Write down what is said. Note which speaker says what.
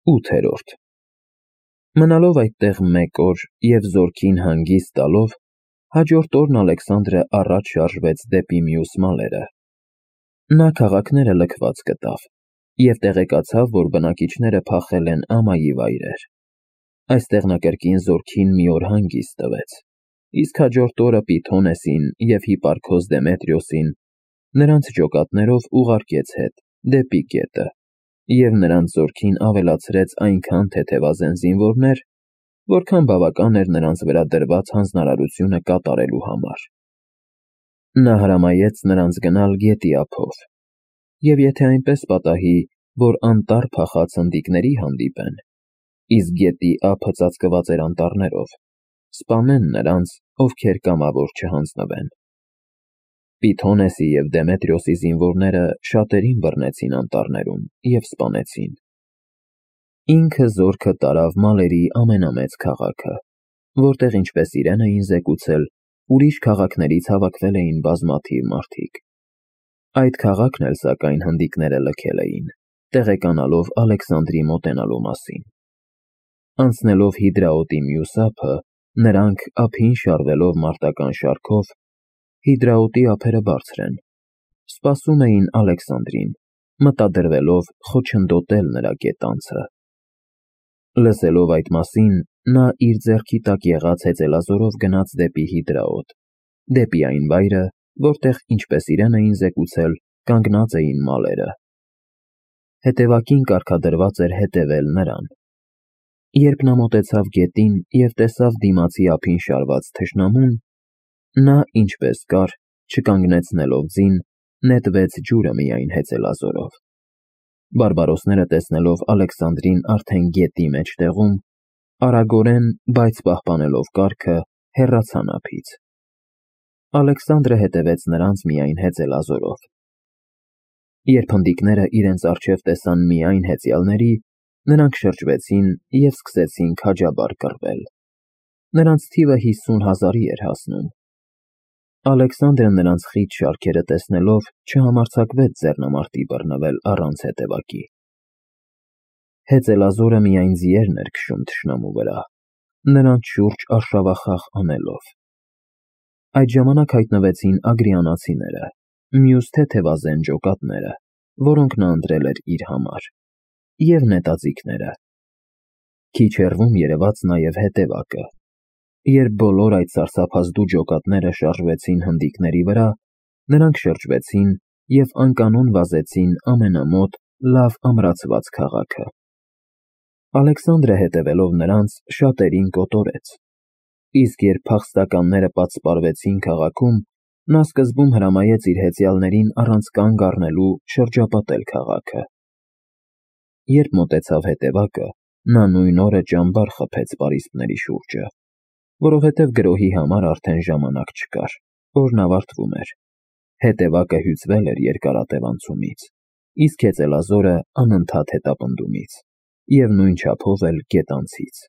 Speaker 1: 8-րդ Մնալով այդտեղ մեկ օր և զորքին հանգիստ տալով, հաջորդ օրն Ալեքսանդրը առաջ շարժվեց դեպի մյուս մալերը։ Նա քաղաքները լքված գտավ և տեղեկացավ, որ բնակիչները փախել են ամայի վայրեր։ Այստեղ նա կրկին զորքին մի օր հանգիստ տվեց, իսկ հաջորդ օրը Պիթոնեսին և Հիպարքոս Դեմետրիոսին նրանց ջոկատներով ուղարկեց հետ դեպի գետը և նրանց զորքին ավելացրեց այնքան թեթևազեն զինվորներ, որքան բավական էր նրանց վրա դրված հանձնարարությունը կատարելու համար։ Նա հրամայեց նրանց գնալ գետի ափով, և եթե այնպես պատահի, որ անտառ փախած հնդիկների հանդիպեն, իսկ գետի ափը ծածկված էր անտառներով, սպանեն նրանց, ովքեր կամավոր չհանձնվեն։ Պիթոնեսի և Դեմետրիոսի զինվորները շատերին բռնեցին անտառներում և սպանեցին։ Ինքը զորքը տարավ մալերի ամենամեծ քաղաքը, որտեղ, ինչպես իրեն էին զեկուցել, ուրիշ քաղաքներից հավաքվել էին բազմաթիվ մարդիկ։ Այդ քաղաքն էլ, սակայն, հնդիկները լքել էին, տեղեկանալով Ալեքսանդրի մոտենալու մասին։ Անցնելով Հիդրաոտի մյուս ափը, նրանք, ափին շարվելով մարտական շարքով, Հիդրաոտի ափերը բարձր են, սպասում էին Ալեքսանդրին, մտադրվելով խոչընդոտել նրա գետանցը։ Լսելով այդ մասին, նա իր ձեռքի տակ եղած հեծելազորով գնաց դեպի Հիդրաոտ, դեպի այն վայրը, որտեղ, ինչպես իրեն էին զեկուցել, կանգնած էին մալերը։ Հետևակին կարգադրված էր հետևել նրան։ Երբ նա մոտեցավ գետին և տեսավ դիմացի ափին շարված թշնամուն, նա, ինչպես կար, չկանգնեցնելով ձին, նետվեց ջուրը միայն հեծելազորով։ Բարբարոսները տեսնելով Ալեքսանդրին արդեն գետի մեջտեղում, արագորեն, բայց պահպանելով կարգը, հեռացան ափից։ Ալեքսանդրը հետևեց նրանց միայն հեծելազորով։ Երբ հնդիկները իրենց առջև տեսան միայն հեծյալների, նրանք շրջվեցին և սկսեցին քաջաբար կռվել։ Նրանց թիվը 50,000-ի էր հասնում։ Ալեքսանդրը նրանց խիտ շարքերը տեսնելով չհամարձակվեց ձեռնամարտի բռնվել առանց հետևակի։ Հեծելազորը միայն ձիերն էր քշում թշնամու վրա, նրանց շուրջ արշավախախ անելով։ Այդ ժամանակ հայտնվեցին ագրիանացիները, մյուս թեթևազեն ջոկատները, որոնք նա ընտրել էր իր համար, և նետաձիգները։ Քիչ հեռվում երևաց նաև հետևակը։ Երբ բոլոր այդ սարսափազդու ջոկատները շարժվեցին հնդիկների վրա, նրանք շրջվեցին և անկանոն վազեցին ամենամոտ, լավ ամրացված քաղաքը։ Ալեքսանդրը հետևելով նրանց, շատերին կոտորեց, իսկ երբ փախստականները պատսպարվեցին քաղաքում, նա սկզբում հրամայեց իր հեծյալներին առանց կանգ առնելու շրջապատել քաղաքը։ Երբ մոտեցավ հետևակը, նա նույն օրը ճամբար խփեց պարիսպների շուրջը, որովհետև գրոհի համար արդեն ժամանակ չկար, օրն ավարտվում էր։ Հետևակը հյուծվել էր երկարատև անցումից, իսկ հեծելազորը անընդհատ հետապնդումից, և նույն չափով էլ գետանցից։